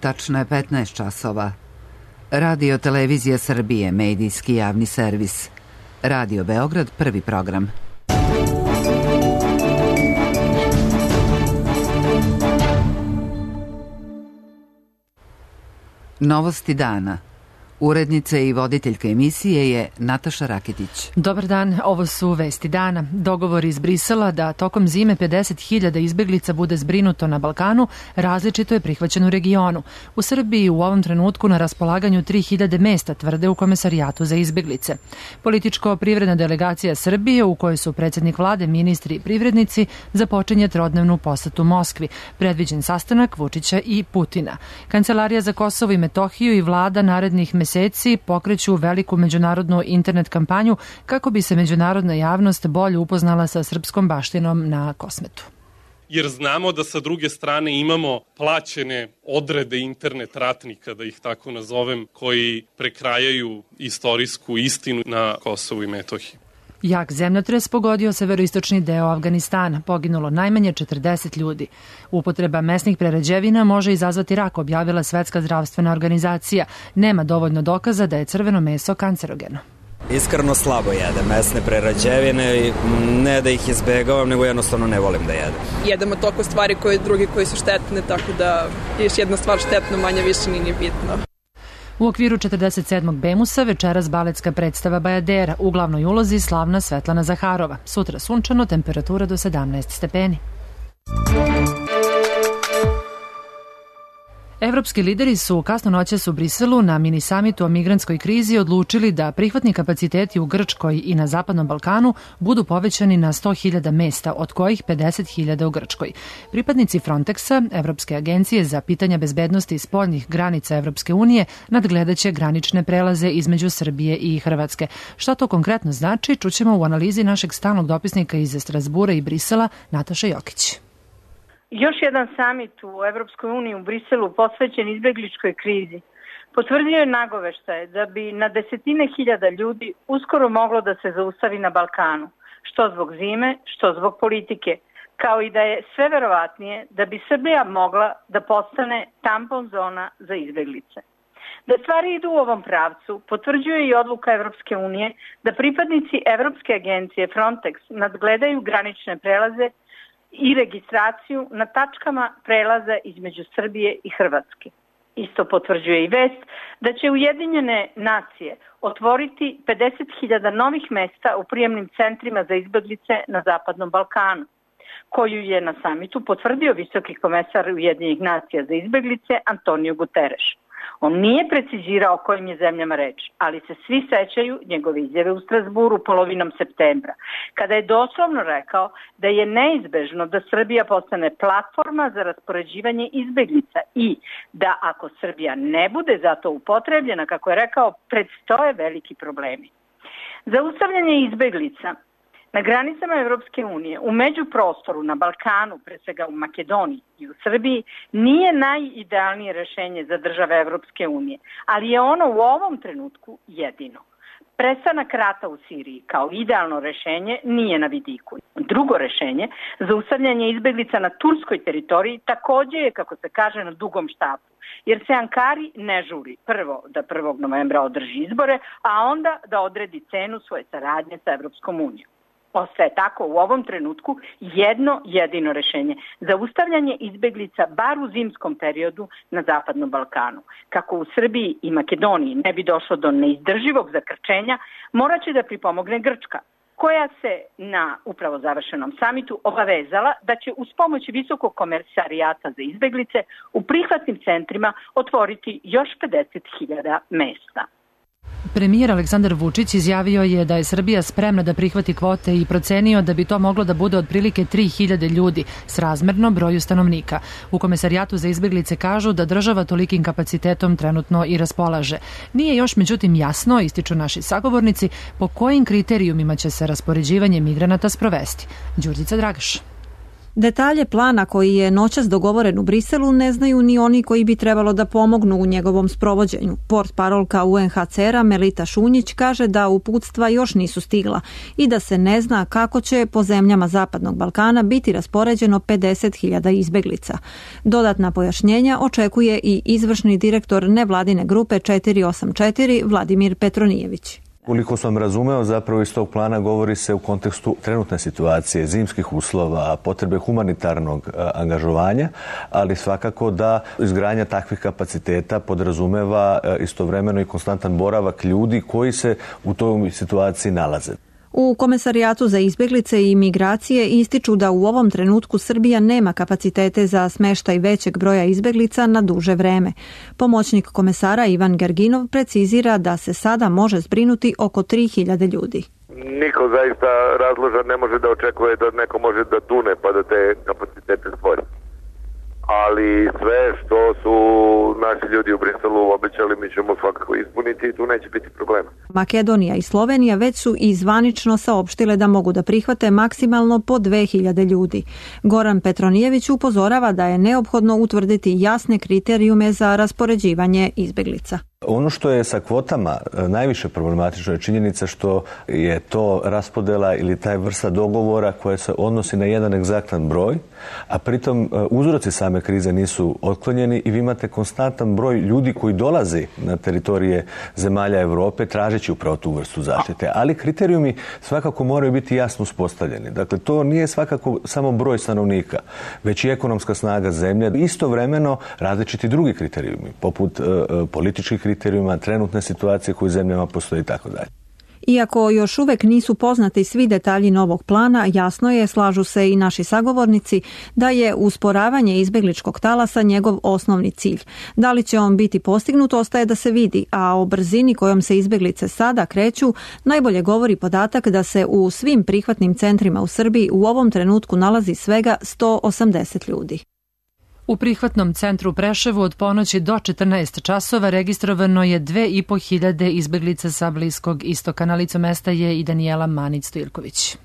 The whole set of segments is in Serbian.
Tačno je 15 časova. Radio Televizija Srbije, medijski javni servis. Radio Beograd, prvi program. Novosti dana. Urednica i voditeljka emisije je Nataša Raketić. Dobar dan, ovo su vesti dana. Dogovor iz Brisela da tokom zime 50.000 izbeglica bude zbrinuto na Balkanu različito je prihvaćen u regionu. U Srbiji u ovom trenutku na raspolaganju 3.000 mesta, tvrde u Komesarijatu za izbeglice. Političko-privredna delegacija Srbije, u kojoj su predsjednik vlade, ministri i privrednici, započinje trodnevnu posetu Moskvi. Predviđen sastanak Vučića i Putina. Kancelarija za Kosovo i Metohiju i vlada narednih meseci pokreću veliku međunarodnu internet kampanju kako bi se međunarodna javnost bolje upoznala sa srpskom baštinom na Kosmetu. Jer znamo da sa druge strane imamo plaćene odrede internet ratnika, da ih tako nazovem, koji prekrajaju istorijsku istinu na Kosovu i Metohiji. Jak zemljotres pogodio severoistočni deo Afganistana. Poginulo najmanje 40 ljudi. Upotreba mesnih prerađevina može izazvati rak, objavila Svetska zdravstvena organizacija. Nema dovoljno dokaza da je crveno meso kancerogeno. Iskreno slabo jedem mesne prerađevine, ne da ih izbegavam, nego jednostavno ne volim da jedem. Jedemo toliko stvari drugi koji su štetne, tako da još jedna stvar štetno, manje više nije bitno. U okviru 47. Bemusa večeras baletska predstava Bajadera, u glavnoj ulozi slavna Svetlana Zaharova. Sutra sunčano, temperatura do 17 stepeni. Evropski lideri su kasno noćas u Briselu na mini samitu o migrantskoj krizi odlučili da prihvatni kapaciteti u Grčkoj i na Zapadnom Balkanu budu povećani na 100.000 mesta, od kojih 50.000 u Grčkoj. Pripadnici Frontexa, Evropske agencije za pitanja bezbednosti spoljnih granica Evropske unije, nadgledaće granične prelaze između Srbije i Hrvatske. Šta to konkretno znači, čućemo u analizi našeg stalnog dopisnika iz Strasbura i Brisela, Nataše Jokić. Još jedan samit u Evropskoj uniji u Briselu posvećen izbegličkoj krizi potvrdio je nagoveštaje da bi na desetine hiljada ljudi uskoro moglo da se zaustavi na Balkanu, što zbog zime, što zbog politike, kao i da je sve verovatnije da bi Srbija mogla da postane tampon zona za izbeglice. Da stvari idu u ovom pravcu potvrđuje i odluka Evropske unije da pripadnici Evropske agencije Frontex nadgledaju granične prelaze i registraciju na tačkama prelaza između Srbije i Hrvatske. Isto potvrđuje i vest da će Ujedinjene nacije otvoriti 50.000 novih mesta u prijemnim centrima za izbeglice na Zapadnom Balkanu, koju je na samitu potvrdio visoki komesar Ujedinjenih nacija za izbeglice Antonio Guterres. On nije precizirao o kojim je zemljama reč, ali se svi sećaju njegove izjave u Strasburu polovinom septembra, kada je doslovno rekao da je neizbežno da Srbija postane platforma za raspoređivanje izbeglica i da ako Srbija ne bude za to upotrebljena, kako je rekao, predstoje veliki problemi. Zaustavljanje izbeglica na granicama Evropske unije, u međuprostoru na Balkanu, pre svega u Makedoniji i u Srbiji, nije najidealnije rešenje za države Evropske unije, ali je ono u ovom trenutku jedino. Prestanak rata u Siriji kao idealno rešenje nije na vidiku. Drugo rešenje, zaustavljanje izbeglica na turskoj teritoriji, takođe je, kako se kaže, na dugom štapu, jer se Ankari ne žuri prvo da 1. novembra održi izbore, a onda da odredi cenu svoje saradnje sa Evropskom unijom. Ostaje tako u ovom trenutku jedno jedino rešenje. Zaustavljanje izbeglica bar u zimskom periodu na Zapadnom Balkanu. Kako u Srbiji i Makedoniji ne bi došlo do neizdrživog zakrčenja, morat će da pripomogne Grčka, koja se na upravo završenom samitu obavezala da će uz pomoć Visokog komesarijata za izbeglice u prihvatnim centrima otvoriti još 50.000 mesta. Premijer Aleksandar Vučić izjavio je da je Srbija spremna da prihvati kvote i procenio da bi to moglo da bude otprilike 3.000 ljudi srazmerno broju stanovnika. U Komesarijatu za izbeglice kažu da država tolikim kapacitetom trenutno i raspolaže. Nije još međutim jasno, ističu naši sagovornici, po kojim kriterijumima će se raspoređivanje migranata sprovesti. Đurđica Dragaš. Detalje plana koji je noćas dogovoren u Briselu ne znaju ni oni koji bi trebalo da pomognu u njegovom sprovođenju. Portparolka UNHCR-a Melita Šunjić kaže da uputstva još nisu stigla i da se ne zna kako će po zemljama Zapadnog Balkana biti raspoređeno 50.000 izbeglica. Dodatna pojašnjenja očekuje i izvršni direktor nevladine grupe 484 Vladimir Petronijević. Koliko sam razumeo, zapravo iz tog plana govori se u kontekstu trenutne situacije, zimskih uslova, potrebe humanitarnog angažovanja, ali svakako da izgradnja takvih kapaciteta podrazumeva istovremeno i konstantan boravak ljudi koji se u toj situaciji nalaze. U Komesarijatu za izbjeglice i migracije ističu da u ovom trenutku Srbija nema kapacitete za smeštaj većeg broja izbjeglica na duže vreme. Pomoćnik komesara Ivan Gerginov precizira da se sada može zbrinuti oko 3.000 ljudi. Niko zaista razložan ne može da očekuje da neko može da tune pa da te kapacitete stvori. Ali sve što su naši ljudi u Briselu obećali mi ćemo svakako ispuniti i tu neće biti problema. Makedonija i Slovenija već su i zvanično saopštile da mogu da prihvate maksimalno po 2.000 ljudi. Goran Petronijević upozorava da je neophodno utvrditi jasne kriterijume za raspoređivanje izbjeglica. Ono što je sa kvotama najviše problematično je činjenica što je to raspodela ili taj vrsta dogovora koja se odnosi na jedan egzaktan broj, a pritom uzroci same krize nisu otklonjeni i vi imate konstantan broj ljudi koji dolazi na teritorije zemalja Europe tražeći upravo tu vrstu zaštite. Ali kriterijumi svakako moraju biti jasno uspostavljeni. Dakle, to nije svakako samo broj stanovnika, već i ekonomska snaga zemlje. Istovremeno različiti drugi kriterijumi, poput političkih kriterijuma, trenutne situacije koje u zemljama postoji i tako dalje. Iako još uvek nisu poznati svi detalji novog plana, jasno je, slažu se i naši sagovornici, da je usporavanje izbegličkog talasa njegov osnovni cilj. Da li će on biti postignut, ostaje da se vidi, a o brzini kojom se izbeglice sada kreću najbolje govori podatak da se u svim prihvatnim centrima u Srbiji u ovom trenutku nalazi svega 180 ljudi. U prihvatnom centru u Preševu od ponoći do 14 časova registrovano je 2.500 izbeglica sa Bliskog istoka. Na licu mesta je i Danijela Manić-Stojilković.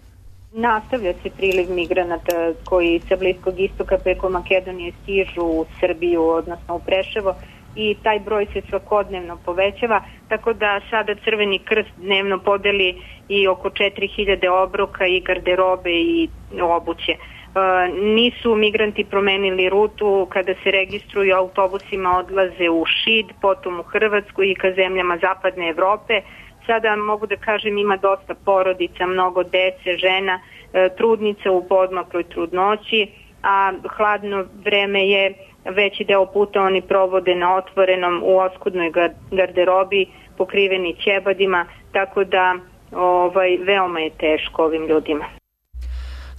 Nastavlja se priliv migranata koji sa Bliskog istoka preko Makedonije stižu u Srbiju, odnosno u Preševo, i taj broj se svakodnevno povećava, tako da sada Crveni krst dnevno podeli i oko 4.000 obroka i garderobe i obuće. Nisu migranti promenili rutu, kada se registruju autobusima odlaze u Šid, potom u Hrvatsku i ka zemljama Zapadne Evrope. Sada mogu da kažem ima dosta porodica, mnogo dece, žena, trudnica u podmakloj trudnoći, a hladno vreme je veći deo puta oni provode na otvorenom u oskudnoj garderobi, pokriveni ćebadima, tako da veoma je teško ovim ljudima.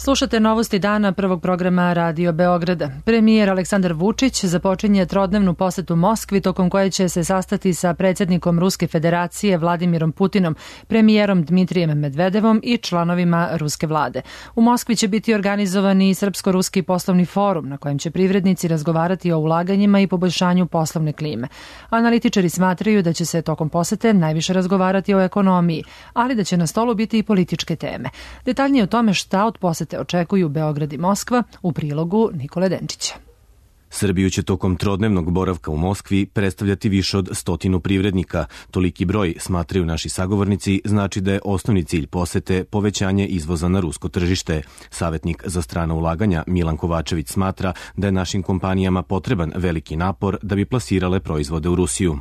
Slušate novosti dana prvog programa Radio Beograda. Premijer Aleksandar Vučić započinje trodnevnu posetu Moskvi, tokom koje će se sastati sa predsjednikom Ruske federacije Vladimirom Putinom, premijerom Dmitrijem Medvedevom i članovima ruske vlade. U Moskvi će biti organizovan i Srpsko-ruski poslovni forum, na kojem će privrednici razgovarati o ulaganjima i poboljšanju poslovne klime. Analitičari smatraju da će se tokom posete najviše razgovarati o ekonomiji, ali da će na stolu biti i političke teme. Detaljnije o tome šta od posete očekuju Beograd i Moskva u prilogu Nikole Denčića. Srbiju će tokom trodnevnog boravka u Moskvi predstavljati više od 100 privrednika. Toliki broj, smatraju naši sagovornici, znači da je osnovni cilj posete povećanje izvoza na rusko tržište. Savjetnik za strana ulaganja Milan Kovačević smatra da je našim kompanijama potreban veliki napor da bi plasirale proizvode u Rusiju.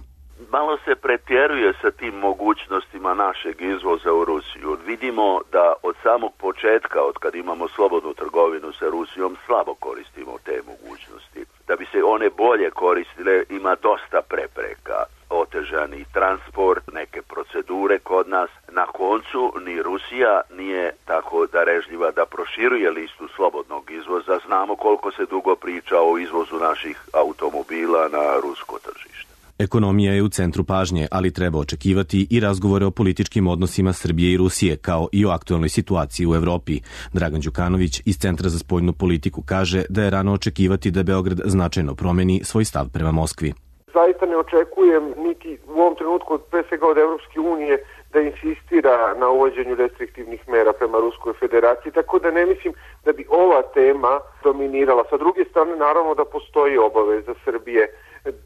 Malo se pretjeruje sa tim mogućnostima našeg izvoza u Rusiju. Vidimo da od samog početka, od kad imamo slobodnu trgovinu sa Rusijom, slabo koristimo te mogućnosti. Da bi se one bolje koristile, ima dosta prepreka. Otežani transport, neke procedure kod nas. Na koncu ni Rusija nije tako darežljiva da proširuje listu slobodnog izvoza. Znamo koliko se dugo priča o izvozu naših automobila na rusko tržište. Ekonomija je u centru pažnje, ali treba očekivati i razgovore o političkim odnosima Srbije i Rusije, kao i o aktualnoj situaciji u Evropi. Dragan Đukanović iz Centra za spoljnu politiku kaže da je rano očekivati da Beograd značajno promeni svoj stav prema Moskvi. Zaista ne očekujem niti u ovom trenutku pre svega od Evropske unije da insistira na uvođenju restriktivnih mera prema Ruskoj federaciji, tako da ne mislim da bi ova tema dominirala. Sa druge strane, naravno da postoji obaveza Srbije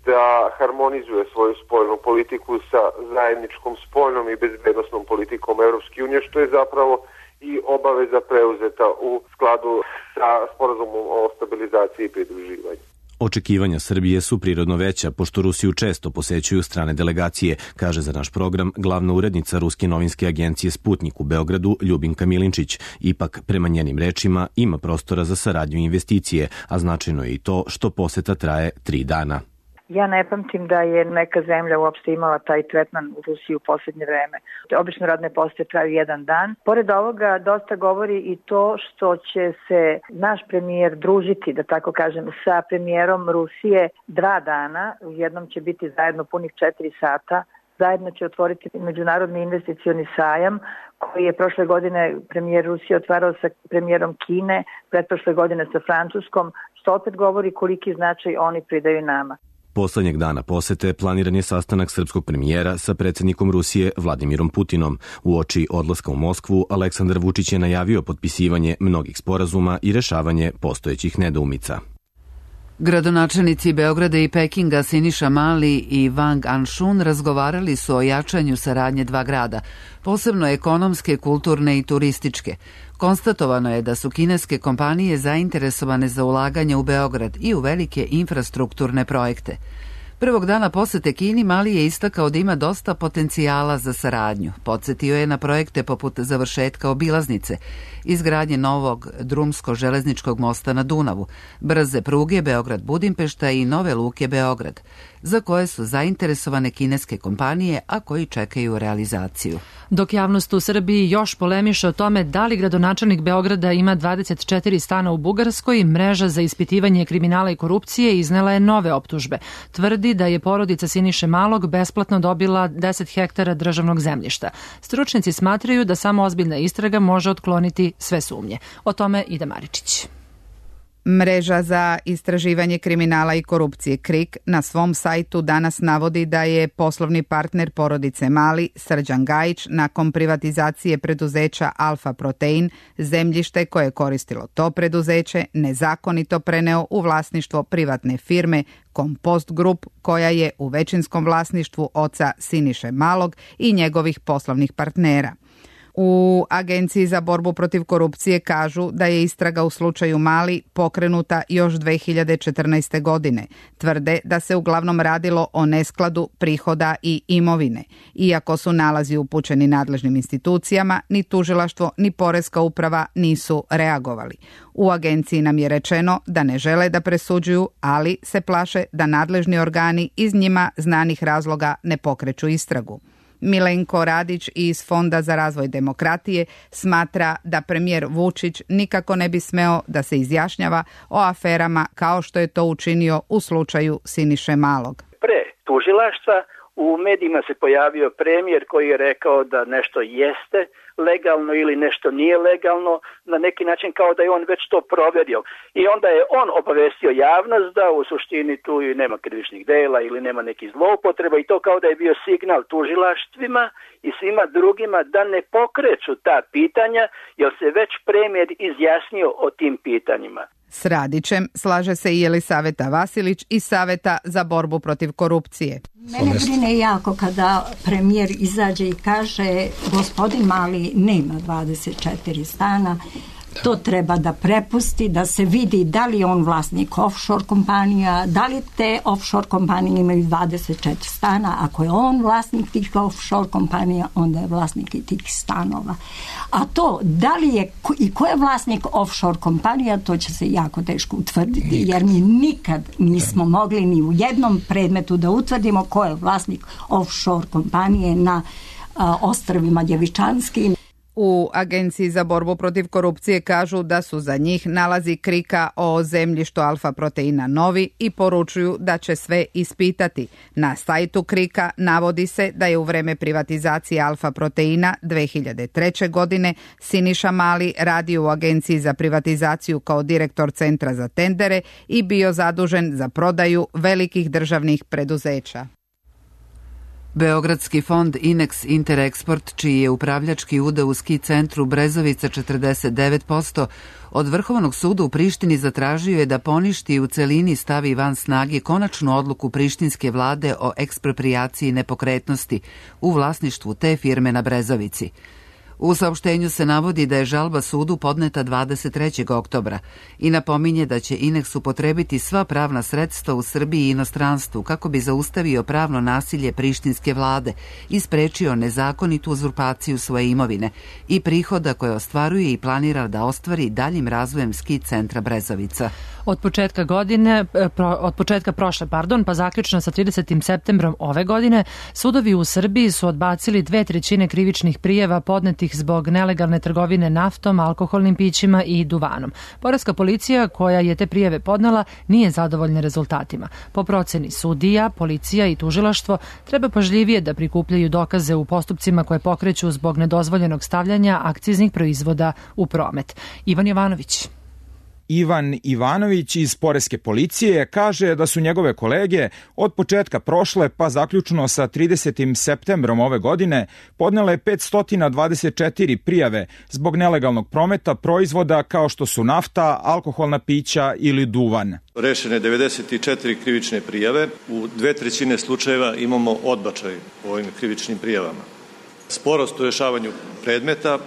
da harmonizuje svoju spoljnu politiku sa zajedničkom spoljnom i bezbednosnom politikom Evropske unije, što je zapravo i obaveza preuzeta u skladu sa sporazumom o stabilizaciji i pridruživanju. Očekivanja Srbije su prirodno veća, pošto Rusiju često posećuju strane delegacije, kaže za naš program glavna urednica Ruske novinske agencije Sputnik u Beogradu Ljubinka Milinčić. Ipak, prema njenim rečima, ima prostora za saradnju i investicije, a značajno je i to što poseta traje 3 dana. Ja ne pamtim da je neka zemlja uopšte imala taj tretman u Rusiji u posljednje vreme. Obično radne posete traju 1 dan. Pored ovoga dosta govori i to što će se naš premijer družiti, da tako kažem, sa premijerom Rusije 2 dana. Jednom će biti zajedno punih 4 sata. Zajedno će otvoriti međunarodni investicioni sajam koji je prošle godine premijer Rusije otvarao sa premijerom Kine, pretprošle godine sa Francuskom, što opet govori koliki značaj oni pridaju nama. Poslednjeg dana posete planiran je sastanak srpskog premijera sa predsjednikom Rusije Vladimirom Putinom. Uoči odlaska u Moskvu, Aleksandar Vučić je najavio potpisivanje mnogih sporazuma i rešavanje postojećih nedoumica. Gradonačelnici Beograda i Pekinga Siniša Mali i Wang Anshun razgovarali su o jačanju saradnje 2 grada, posebno ekonomske, kulturne i turističke. Konstatovano je da su kineske kompanije zainteresovane za ulaganje u Beograd i u velike infrastrukturne projekte. Prvog dana posete Kini Mali je istakao da ima dosta potencijala za saradnju. Podsjetio je na projekte poput završetka obilaznice, izgradnje novog drumsko-železničkog mosta na Dunavu, brze pruge Beograd-Budimpešta i nove luke Beograd, za koje su zainteresovane kineske kompanije, a koji čekaju realizaciju. Dok javnost u Srbiji još polemiše o tome da li gradonačelnik Beograda ima 24 stana u Bugarskoj, mreža za ispitivanje kriminala i korupcije iznela je nove optužbe. Tvrdi da je porodica Siniše Malog besplatno dobila 10 hektara državnog zemljišta. Stručnjaci smatraju da samo ozbiljna istraga može otkloniti sve sumnje. O tome Ida Maričić. Mreža za istraživanje kriminala i korupcije KRIK na svom sajtu danas navodi da je poslovni partner porodice Mali, Srđan Gajić, nakon privatizacije preduzeća Alfa Protein, zemljište koje je koristilo to preduzeće nezakonito preneo u vlasništvo privatne firme Kompost Group, koja je u većinskom vlasništvu oca Siniše Malog i njegovih poslovnih partnera. U Agenciji za borbu protiv korupcije kažu da je istraga u slučaju Mali pokrenuta još 2014. godine. Tvrde da se uglavnom radilo o neskladu prihoda i imovine. Iako su nalazi upućeni nadležnim institucijama, ni tužilaštvo ni poreska uprava nisu reagovali. U agenciji nam je rečeno da ne žele da presuđuju, ali se plaše da nadležni organi iz njima znanih razloga ne pokreću istragu. Milenko Radić iz Fonda za razvoj demokratije smatra da premijer Vučić nikako ne bi smeo da se izjašnjava o aferama kao što je to učinio u slučaju Siniše Malog. Pre tužilaštva u medijima se pojavio premijer koji je rekao da nešto jeste legalno ili nešto nije legalno, na neki način kao da je on već to proverio. I onda je on obavestio javnost da u suštini tu i nema krivičnih dela ili nema nekih zloupotreba i to kao da je bio signal tužilaštvima i svima drugima da ne pokreću ta pitanja jer se već premijer izjasnio o tim pitanjima. S Radićem slaže se i Jelisaveta Vasilić iz Saveta za borbu protiv korupcije. Mene brine jako kada premijer izađe i kaže gospodin Mali nema 24 stana, to treba da prepusti, da se vidi da li je on vlasnik offshore kompanija, da li te offshore kompanije imaju 24 stana. Ako je on vlasnik tih offshore kompanija, onda je vlasnik i tih stanova. A to, da li je i ko je vlasnik offshore kompanija, to će se jako teško utvrditi, jer mi nikad nismo mogli ni u jednom predmetu da utvrdimo ko je vlasnik offshore kompanije na ostrvima Djevičanskim. U Agenciji za borbu protiv korupcije kažu da su za njih nalazi KRIK-a o zemljištu Alfa Proteina novi i poručuju da će sve ispitati. Na sajtu KRIK-a navodi se da je u vreme privatizacije Alfa Proteina 2003. godine Siniša Mali radio u Agenciji za privatizaciju kao direktor Centra za tendere i bio zadužen za prodaju velikih državnih preduzeća. Beogradski fond Inex Interexport, čiji je upravljački udeo u ski centru Brezovica 49%, od Vrhovnog suda u Prištini zatražio je da poništi i u celini stavi van snage konačnu odluku prištinske vlade o eksproprijaciji nepokretnosti u vlasništvu te firme na Brezovici. U saopštenju se navodi da je žalba sudu podneta 23. oktobra i napominje da će Inex upotrebiti sva pravna sredstva u Srbiji i inostranstvu kako bi zaustavio pravno nasilje prištinske vlade i sprečio nezakonitu uzurpaciju svoje imovine i prihoda koje ostvaruje i planira da ostvari daljim razvojem ski centra Brezovica. Od početka prošle, pa zaključno sa 30. septembrom ove godine, sudovi u Srbiji su odbacili 2/3 krivičnih prijava podnetih zbog nelegalne trgovine naftom, alkoholnim pićima i duvanom. Poreska policija koja je te prijave podnela nije zadovoljna rezultatima. Po proceni sudija, policija i tužilaštvo treba pažljivije da prikupljaju dokaze u postupcima koje pokreću zbog nedozvoljenog stavljanja akciznih proizvoda u promet. Ivan Jovanović. Ivan Ivanović iz Poreske policije kaže da su njegove kolege od početka prošle pa zaključno sa 30. septembrom ove godine podnele 524 prijave zbog nelegalnog prometa proizvoda kao što su nafta, alkoholna pića ili duvan. Rešene 94 krivične prijave, u 2/3 slučajeva imamo odbačaj u ovim krivičnim prijavama. Sporost u rešavanju predmeta,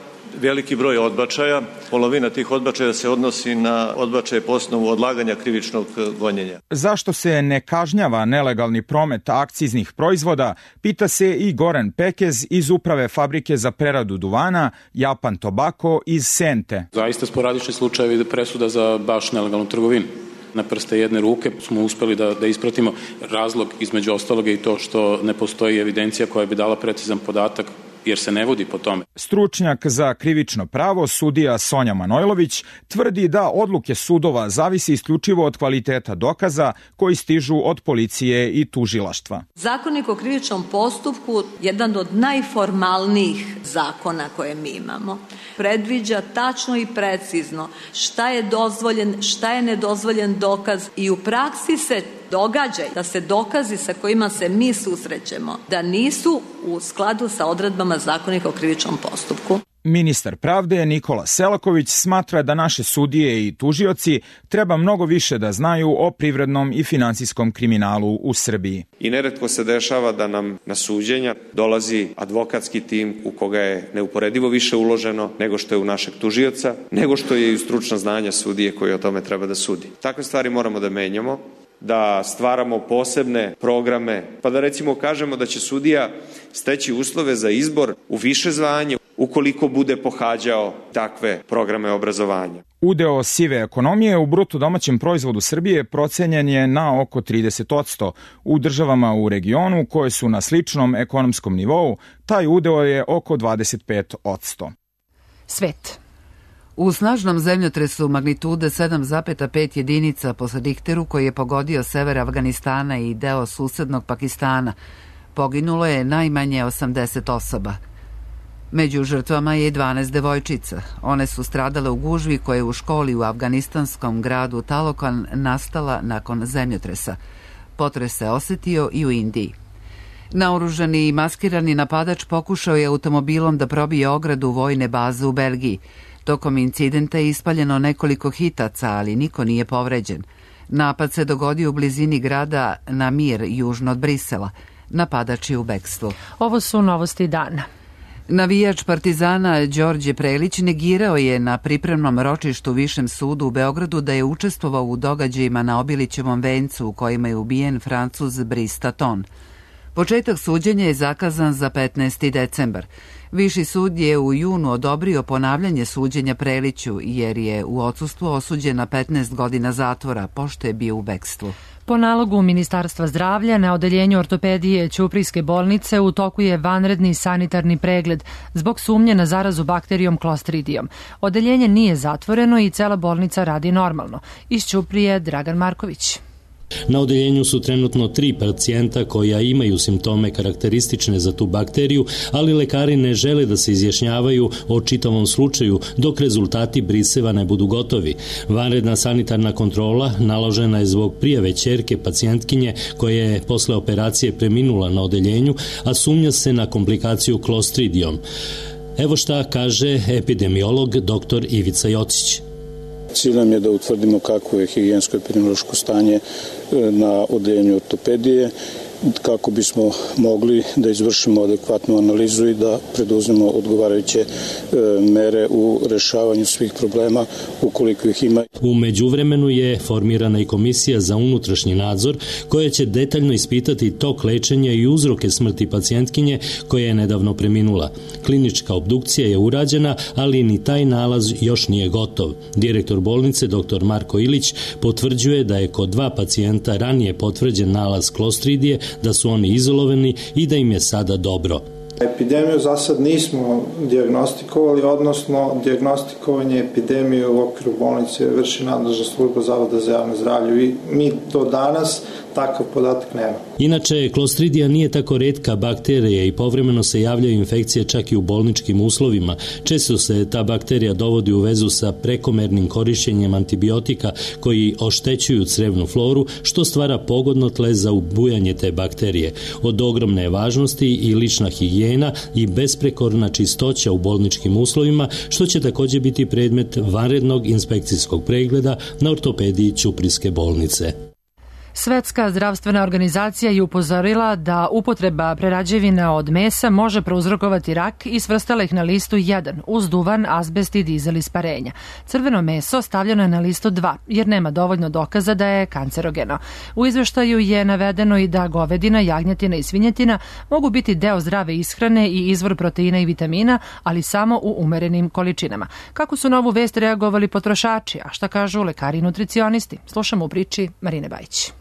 veliki broj odbačaja, polovina tih odbačaja se odnosi na odbačaje po osnovu odlaganja krivičnog gonjenja. Zašto se ne kažnjava nelegalni promet akciznih proizvoda, pita se i Goran Pekez iz Uprave fabrike za preradu duvana Japan Tobacco iz Sente. Zaista sporadični slučajevi presuda za baš nelegalnu trgovinu. Na prste jedne ruke smo uspeli da ispratimo. Razlog između ostaloga i to što ne postoji evidencija koja bi dala precizan podatak jer se ne vodi po tome. Stručnjak za krivično pravo, sudija Sonja Manojlović, tvrdi da odluke sudova zavisi isključivo od kvaliteta dokaza koji stižu od policije i tužilaštva. Zakonik o krivičnom postupku, jedan od najformalnijih zakona koje mi imamo, predviđa tačno i precizno šta je dozvoljen, šta je nedozvoljen dokaz i u praksi se događa da se dokazi sa kojima se mi susrećemo da nisu u skladu sa odredbama Zakonika o krivičnom postupku. Ministar pravde Nikola Selaković smatra da naše sudije i tužioci treba mnogo više da znaju o privrednom i finansijskom kriminalu u Srbiji. I neretko se dešava da nam na suđenja dolazi advokatski tim u koga je neuporedivo više uloženo nego što je u našeg tužioca, nego što je i u stručna znanja sudije koji o tome treba da sudi. Takve stvari moramo da menjamo, da stvaramo posebne programe, pa da recimo kažemo da će sudija steći uslove za izbor u više zvanje ukoliko bude pohađao takve programe obrazovanja. Udeo sive ekonomije u bruto domaćem proizvodu Srbije procenjen je na oko 30%. U državama u regionu koje su na sličnom ekonomskom nivou, taj udeo je oko 25%. Svet. U snažnom zemljotresu magnitude 7,5 jedinica po Richteru koji je pogodio sever Afganistana i deo susednog Pakistana, poginulo je najmanje 80 osoba. Među žrtvama je 12 devojčica. One su stradale u gužvi koja je u školi u afganistanskom gradu Talokan nastala nakon zemljotresa. Potres se osetio i u Indiji. Naoružani i maskirani napadač pokušao je automobilom da probije ogradu vojne baze u Belgiji. Tokom incidenta je ispaljeno nekoliko hitaca, ali niko nije povređen. Napad se dogodio u blizini grada Namir, južno od Brisela. Napadač je u bekstvu. Ovo su novosti dana. Navijač Partizana Đorđe Prelić negirao je na pripremnom ročištu u Višem sudu u Beogradu da je učestvovao u događajima na Obilićevom vencu u kojima je ubijen Francuz Brice Taton. Početak suđenja je zakazan za 15. decembar. Viši sud je u junu odobrio ponavljanje suđenja Preliću jer je u odsustvu osuđen na 15 godina zatvora pošto je bio u bekstvu. Po nalogu Ministarstva zdravlja na odeljenju ortopedije Ćuprijske bolnice u toku je vanredni sanitarni pregled zbog sumnje na zarazu bakterijom Clostridijom. Odeljenje nije zatvoreno i cela bolnica radi normalno. Iz Ćuprije Dragan Marković. Na odeljenju su trenutno 3 pacijenta koja imaju simptome karakteristične za tu bakteriju, ali lekari ne žele da se izjašnjavaju o čitavom slučaju dok rezultati briseva ne budu gotovi. Vanredna sanitarna kontrola naložena je zbog prijave ćerke pacijentkinje koja je posle operacije preminula na odeljenju, a sumnja se na komplikaciju klostridijom. Evo šta kaže epidemiolog dr. Ivica Jocić. Cilj nam je da utvrdimo kako je higijensko-epidemiološko stanje na odeljenju ortopedije, kako bismo mogli da izvršimo adekvatnu analizu i da preduzmemo odgovarajuće mere u rešavanju svih problema ukoliko ih ima. U međuvremenu je formirana i komisija za unutrašnji nadzor koja će detaljno ispitati tok lečenja i uzroke smrti pacijentkinje koja je nedavno preminula. Klinička obdukcija je urađena, ali ni taj nalaz još nije gotov. Direktor bolnice dr. Marko Ilić potvrđuje da je kod 2 pacijenta ranije potvrđen nalaz klostridije, da su oni izolovani i da im je sada dobro. Epidemiju za sad nismo dijagnostikovali, odnosno dijagnostikovanje epidemije u okviru bolnice vrši nadležna služba Zavoda za javno zdravlje i mi do danas takav podatak nema. Inače, klostridija nije tako retka bakterija i povremeno se javljaju infekcije čak i u bolničkim uslovima. Često se ta bakterija dovodi u vezu sa prekomernim korišćenjem antibiotika koji oštećuju crevnu floru, što stvara pogodno tle za ubujanje te bakterije. Od ogromne je važnosti i lična higijena i besprekorna čistoća u bolničkim uslovima, što će također biti predmet vanrednog inspekcijskog pregleda na ortopediji Ćuprijske bolnice. Svetska zdravstvena organizacija je upozorila da upotreba prerađevina od mesa može prouzrokovati rak i svrstala ih na listu 1 uz duvan, azbest i dizel isparenja. Crveno meso stavljeno je na listu 2 jer nema dovoljno dokaza da je kancerogeno. U izveštaju je navedeno i da govedina, jagnjetina i svinjetina mogu biti deo zdrave ishrane i izvor proteina i vitamina, ali samo u umerenim količinama. Kako su na ovu vest reagovali potrošači, a šta kažu lekari i nutricionisti? Slušamo u priči Marine Bajić.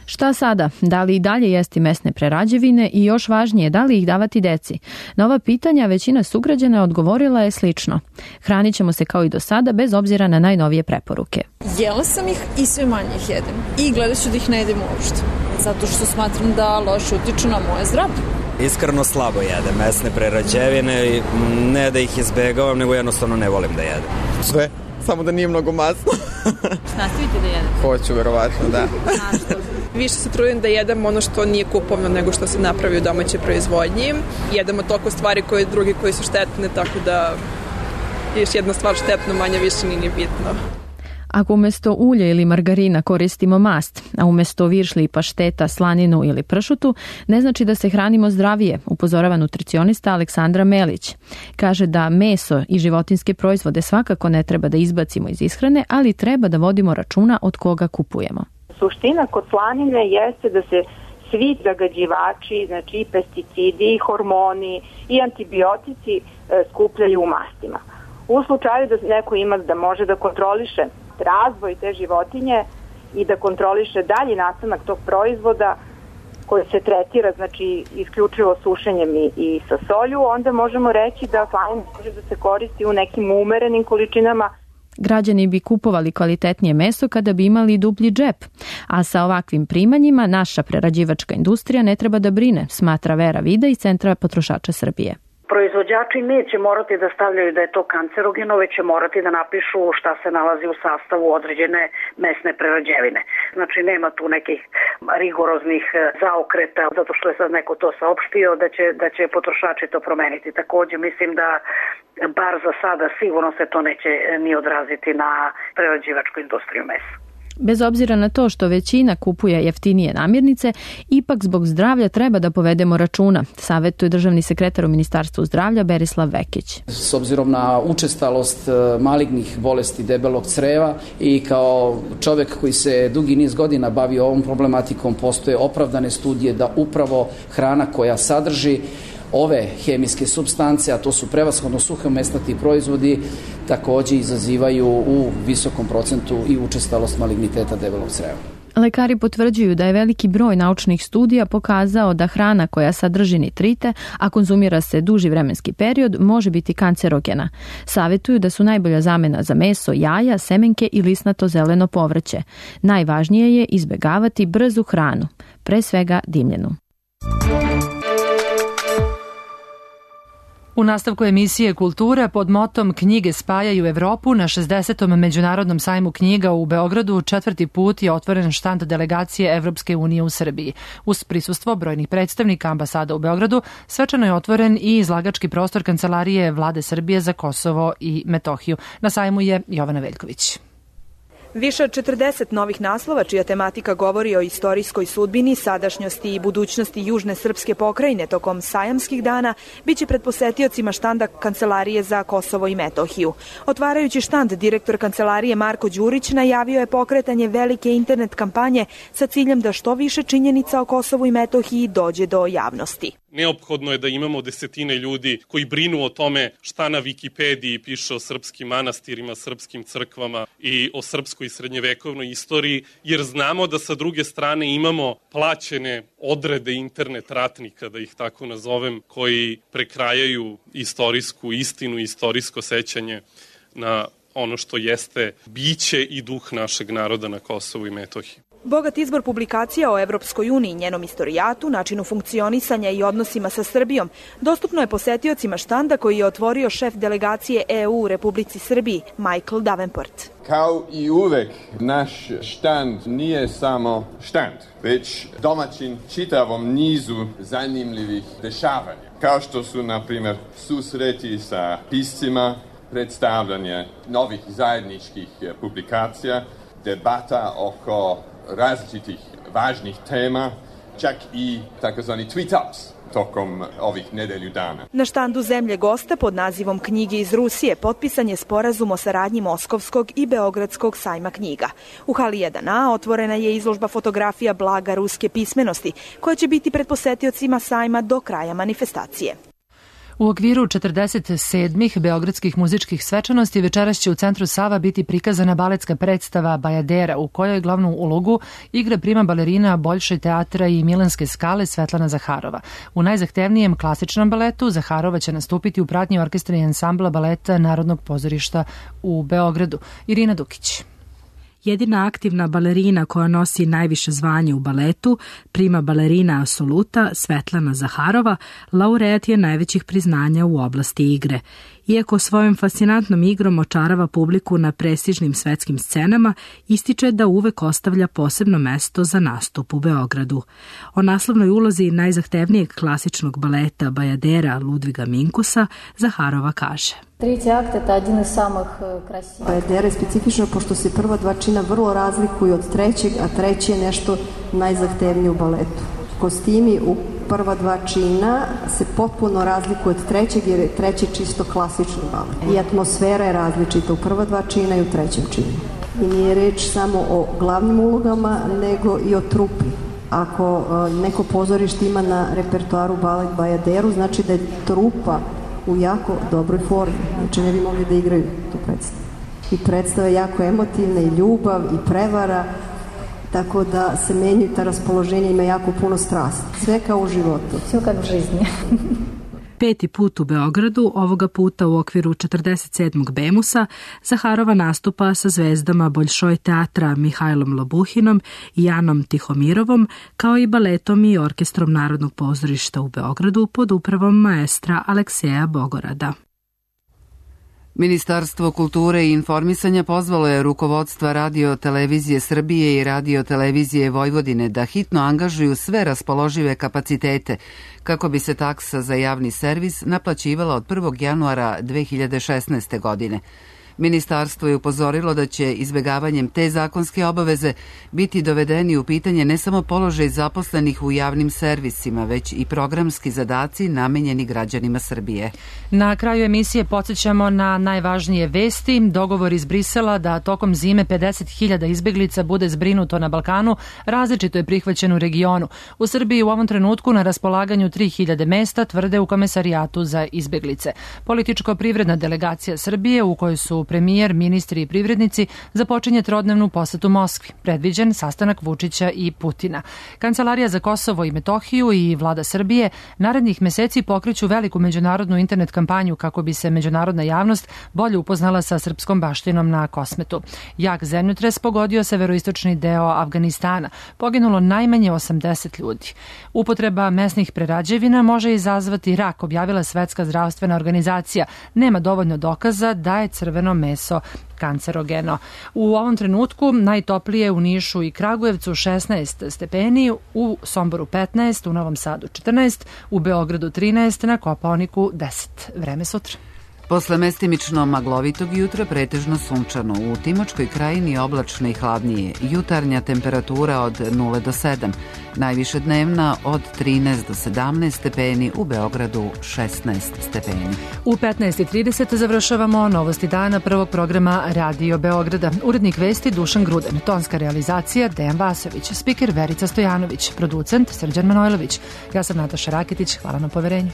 Šta sada? Da li i dalje jesti mesne prerađevine i još važnije, da li ih davati deci? Na ova pitanja većina sugrađana odgovorila je slično. Hranit ćemo se kao i do sada bez obzira na najnovije preporuke. Jela sam ih i sve manje ih jedem. I gledat ću da ih ne jedem uopšte. Zato što smatram da loše utiču na moje zdravlje. Iskreno slabo jedem mesne prerađevine, ne da ih izbegavam, nego jednostavno ne volim da jedem. Sve, samo da nije mnogo masno. Nastavite da jedete? Hoću, verovatno, da. Više se trudim da jedem ono što nije kupovno nego što se napravi u domaćoj proizvodnji. Jedemo toliko stvari koje drugi koji su štetne, tako da još jedna stvar štetno, manje više nije bitno. Ako umesto ulja ili margarina koristimo mast, a umesto viršli, pašteta, slaninu ili pršutu, ne znači da se hranimo zdravije, upozorava nutricionista Aleksandra Melić. Kaže da meso i životinjske proizvode svakako ne treba da izbacimo iz ishrane, ali treba da vodimo računa od koga kupujemo. Suština kod slanine jeste da se svi zagađivači, znači i pesticidi, i hormoni, i antibiotici skupljaju u mastima. U slučaju da neko ima da može da kontroliše razvoj te životinje i da kontroliše dalji nastanak tog proizvoda koji se tretira, znači isključivo sušenjem i sa solju, onda možemo reći da slanina može da se koristi u nekim umerenim količinama. Građani bi kupovali kvalitetnije meso kada bi imali dublji džep, a sa ovakvim primanjima naša prerađivačka industrija ne treba da brine, smatra Vera Vida iz Centra potrošača Srbije. Proizvođači neće morati da stavljaju da je to kancerogeno, već će morati da napišu šta se nalazi u sastavu određene mesne prerađevine. Znači nema tu nekih rigoroznih zaokreta, zato što je sad neko to saopštio da će potrošači to promeniti. Takođe mislim da bar za sada sigurno se to neće ni odraziti na prerađivačku industriju mesa. Bez obzira na to što većina kupuje jeftinije namirnice, ipak zbog zdravlja treba da povedemo računa, savetuje državni sekretar u Ministarstvu zdravlja Berislav Vekić. S obzirom na učestalost malignih bolesti debelog creva i kao čovek koji se dugi niz godina bavi ovom problematikom, postoje opravdane studije da upravo hrana koja sadrži ove hemijske supstance, a to su prevashodno suhomesnati proizvodi, takođe izazivaju u visokom procentu i učestalost maligniteta debelog creva. Lekari potvrđuju da je veliki broj naučnih studija pokazao da hrana koja sadrži nitrite, a konzumira se duži vremenski period, može biti kancerogena. Savjetuju da su najbolja zamena za meso, jaja, semenke i lisnato zeleno povrće. Najvažnije je izbjegavati brzu hranu, pre svega dimljenu. U nastavku emisije Kultura pod motom Knjige spajaju Evropu na 60. Međunarodnom sajmu knjiga u Beogradu 4. put je otvoren štand delegacije Evropske unije u Srbiji. Uz prisustvo brojnih predstavnika ambasada u Beogradu svečano je otvoren i izlagački prostor Kancelarije Vlade Srbije za Kosovo i Metohiju. Na sajmu je Jovana Veljković. Više od 40 novih naslova čija tematika govori o istorijskoj sudbini, sadašnjosti i budućnosti južne srpske pokrajine tokom sajamskih dana biće pred posetiocima štanda Kancelarije za Kosovo i Metohiju. Otvarajući štand, direktor Kancelarije Marko Đurić najavio je pokretanje velike internet kampanje sa ciljem da što više činjenica o Kosovu i Metohiji dođe do javnosti. Neophodno je da imamo desetine ljudi koji brinu o tome šta na Wikipediji piše o srpskim manastirima, srpskim crkvama i o srpskoj srednjevekovnoj istoriji, jer znamo da sa druge strane imamo plaćene odrede internet ratnika, da ih tako nazovem, koji prekrajaju istorijsku istinu, istorijsko sećanje na ono što jeste biće i duh našeg naroda na Kosovu i Metohiji. Bogat izbor publikacija o Evropskoj uniji, njenom istorijatu, načinu funkcionisanja i odnosima sa Srbijom dostupno je posetiocima štanda koji je otvorio šef delegacije EU u Republici Srbiji, Michael Davenport. Kao i uvek, naš štand nije samo štand, već domaćin čitavom nizu zanimljivih dešavanja, kao što su, na primjer, susreti sa piscima, predstavljanje novih zajedničkih publikacija, debata oko različitih važnih tema, čak i takozvani tweet-ups tokom ovih nedelju dana. Na štandu zemlje gosta pod nazivom Knjige iz Rusije potpisan je sporazum o saradnji Moskovskog i Beogradskog sajma knjiga. U hali 1A otvorena je izložba fotografija blaga ruske pismenosti, koja će biti pred posetiocima sajma do kraja manifestacije. U okviru 47. beogradskih muzičkih svečanosti večeras će u centru Sava biti prikazana baletska predstava Bajadera, u kojoj glavnu ulogu igra prima balerina Boljšoj teatra i Milanske skale Svetlana Zaharova. U najzahtevnijem klasičnom baletu Zaharova će nastupiti u pratnji orkestra i ansambla baleta Narodnog pozorišta u Beogradu. Irina Dukić. Jedina aktivna balerina koja nosi najviše zvanje u baletu, prima balerina Asoluta Svetlana Zaharova, laureat je najvećih priznanja u oblasti igre. Iako svojom fascinantnom igrom očarava publiku na prestižnim svetskim scenama, ističe da uvek ostavlja posebno mesto za nastup u Beogradu. O naslovnoj ulozi najzahtevnijeg klasičnog baleta Bajadera Ludviga Minkusa Zaharova kaže. Bajadera je specifična pošto se prva dva čina vrlo razlikuju od trećeg, a treći je nešto najzahtevnije u baletu. Kostimi u prva dva čina se potpuno razlikuju od trećeg jer je treći čisto klasični balet. I atmosfera je različita u prva dva čina i u trećem činu. I nije reč samo o glavnim ulogama, nego i o trupi. Ako neko pozorište ima na repertoaru balet Bajaderu, znači da je trupa u jako dobroj formi. Znači ne bi mogli da igraju tu predstavu. I predstava je jako emotivna i ljubav i prevara, tako da se menjaju ta raspoloženja, ima jako puno strasti. Sve kao u životu. Sve kao u žizni. 5. put u Beogradu, ovoga puta u okviru 47. Bemusa, Zaharova nastupa sa zvezdama Boljšoj teatra Mihajlom Lobuhinom i Janom Tihomirovom, kao i baletom i orkestrom Narodnog pozorišta u Beogradu pod upravom maestra Alekseja Bogorada. Ministarstvo kulture i informisanja pozvalo je rukovodstva Radio televizije Srbije i Radio televizije Vojvodine da hitno angažuju sve raspoložive kapacitete kako bi se taksa za javni servis naplaćivala od 1. januara 2016. godine. Ministarstvo je upozorilo da će izbegavanjem te zakonske obaveze biti dovedeni u pitanje ne samo položaj zaposlenih u javnim servisima, već i programski zadaci namenjeni građanima Srbije. Na kraju emisije podsjećamo na najvažnije vesti. Dogovor iz Brisela da tokom zime 50.000 izbeglica bude zbrinuto na Balkanu različito je prihvaćen u regionu. U Srbiji u ovom trenutku na raspolaganju 3.000 mesta, tvrde u Komesarijatu za izbeglice. Političko-privredna delegacija Srbije, u kojoj su subotu premijer, ministri i privrednici započinje trodnevnu posetu Moskvi. Predviđen sastanak Vučića i Putina. Kancelarija za Kosovo i Metohiju i vlada Srbije narednih meseci pokreću veliku međunarodnu internet kampanju kako bi se međunarodna javnost bolje upoznala sa srpskom baštinom na Kosmetu. Jak zemljotres pogodio severoistočni deo Afganistana. Poginulo najmanje 80 ljudi. Upotreba mesnih prerađevina može izazvati rak, objavila Svetska zdravstvena organizacija. Nema dovoljno dokaza da je crveno meso kancerogeno. U ovom trenutku najtoplije u Nišu i Kragujevcu 16 stepeni, u Somboru 15, u Novom Sadu 14, u Beogradu 13, na Kopaoniku 10. Vreme sutra. Posle mestimično maglovitog jutra pretežno sunčano, u Timočkoj krajini oblačno i hladnije, jutarnja temperatura od 0 do 7, najviše dnevna od 13 do 17 stepeni, u Beogradu 16 stepeni. U 15:30 završavamo novosti dana prvog programa Radio Beograda. Urednik vesti Dušan Gruden, tonska realizacija Dejan Vasović, spiker Verica Stojanović, producent Srđan Manojlović. Ja sam Nataša Raketić, hvala na poverenju.